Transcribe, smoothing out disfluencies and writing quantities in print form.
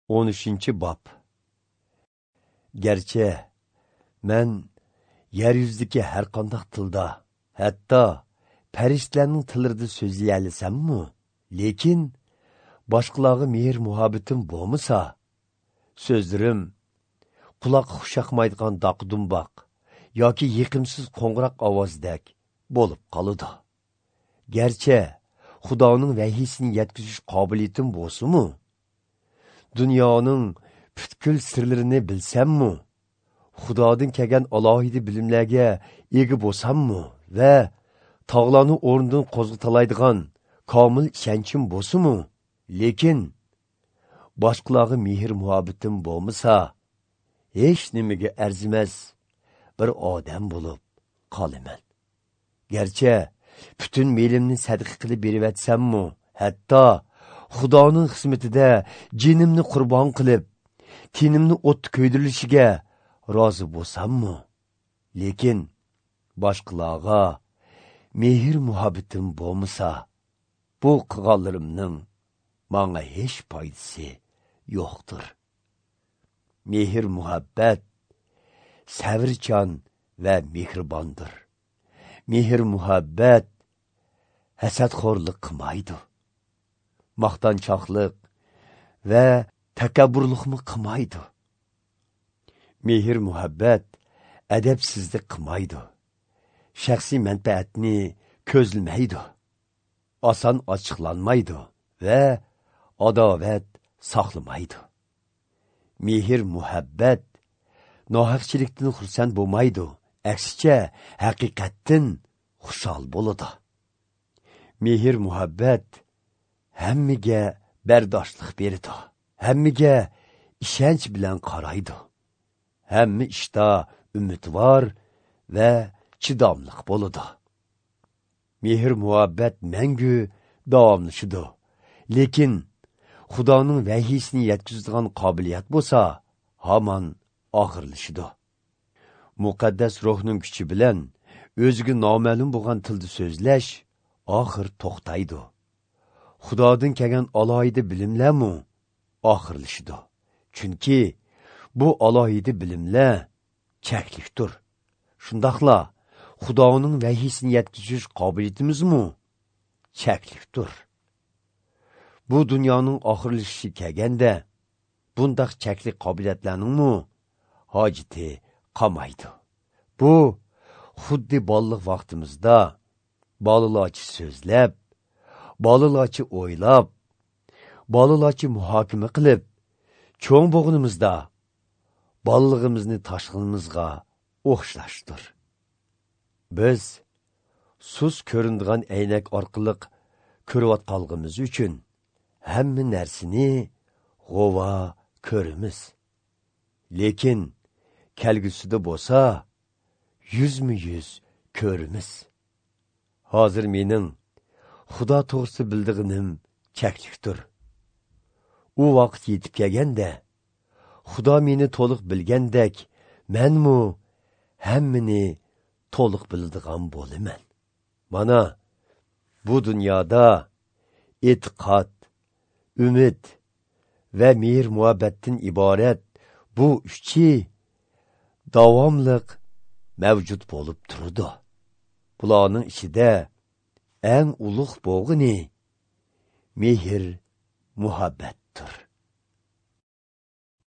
13. Bob. Garchi men yer yuzidagi har qanday tilda, hatto farishtalarning tillarida so'zlayolsammi, lekin boshqalarga mehr muhabbatim bo'lmasa, so'zlarim quloqqa xushaqmaydigan doq-dumboq yoki yiqimsiz qo'ng'iroq ovozdek bo'lib qoladi. Garchi Xudoning vahiysini yetkazish qobiliyatim bo'lsa-mu, dunyoning butkul sirlarini bilsammi, Xudodan kelgan alohida bilimlarga ega bo'lsammi va tog'larni o'rnidan qo'zg'atalaydigan komil ishonchim bo'lsa-mu, lekin boshqalarga mehr muhabbatim bo'lmasa, hech nimaga arzimas bir odam bo'lib qolaman. Garchi butun melimni sadaqa qilib berivatsammi, hatto Xudoning xizmatida jinimni qurbon qilib, tenimni o'tda ko'ydirilishiga rozi bo'lsammi, lekin boshqalarga mehr muhabbatim bo'lmasa, bu qilganlarimning menga hech foydasi yo'qdir. Mehr muhabbat sabrchan va mehribondir. Mehr muhabbat hasadxo'rlik qilmaydi, maqtanchoqlik va takabburlikmi qilmaydi. Mehr muhabbat adabsizlik qilmaydi, shaxsiy manfaatni ko'zlamaydi, oson ochiqlanmaydi va adovat saqlamaydi. Mehr muhabbat nohaqchilikdan xursand bo'lmaydi, aksicha haqiqatdan xushal bo'ladi. Mehr muhabbat hammaga bardoshlik beradi, hammaga ishonch bilan qaraydi, hamma ishda umidvor va chidamliq bo'ladi. Mehr muhabbat mangu davomlashadi, lekin Xudoning vahiysini yetkazadigan qobiliyat bo'lsa, hamon oxirlashadi. Muqaddas ruhning kuchi bilan o'ziga noma'lum bo'lgan tilda so'zlash oxir to'xtaydi. Xudodan kelgan alohida bilimlarmi oxirlashadi. Chunki bu alohida bilimlar cheklikdir. Shundoqla Xudoning vahiysini yetkazish qobiliyatimizmi cheklikdir. Bu dunyoning oxirlashishi kelganda bundaq cheklik qobiliyatlarningmi hojati qolmaydi. Bu xuddi bolalik vaqtimizda bolalarcha so'zlab, bolalarcha o'ylab, bolalarcha muhokama qilib, cho'ng bo'g'inimizda bolaligimizni tashqinimizga o'xshashdir. Biz sus ko'rindigan aynak orqali ko'rayotganligimiz uchun hamma narsani g'ova ko'ramiz. Lekin kelgusida bo'lsa yuzma-yuz ko'ramiz. Hozir mening Xudo to'g'risida bildig'inim cheklikdir. U vaqt yetib kelganda, Xudo meni to'liq bilgandek, menmu hammani to'liq biladigan bo'laman. Mana bu dunyoda e'tiqod, umid va mehr muhabbatdan iborat bu uchi davomliq mavjud bo'lib turdi. Bularning ichida eng ulug' bo'g'ini mehr muhabbatdir.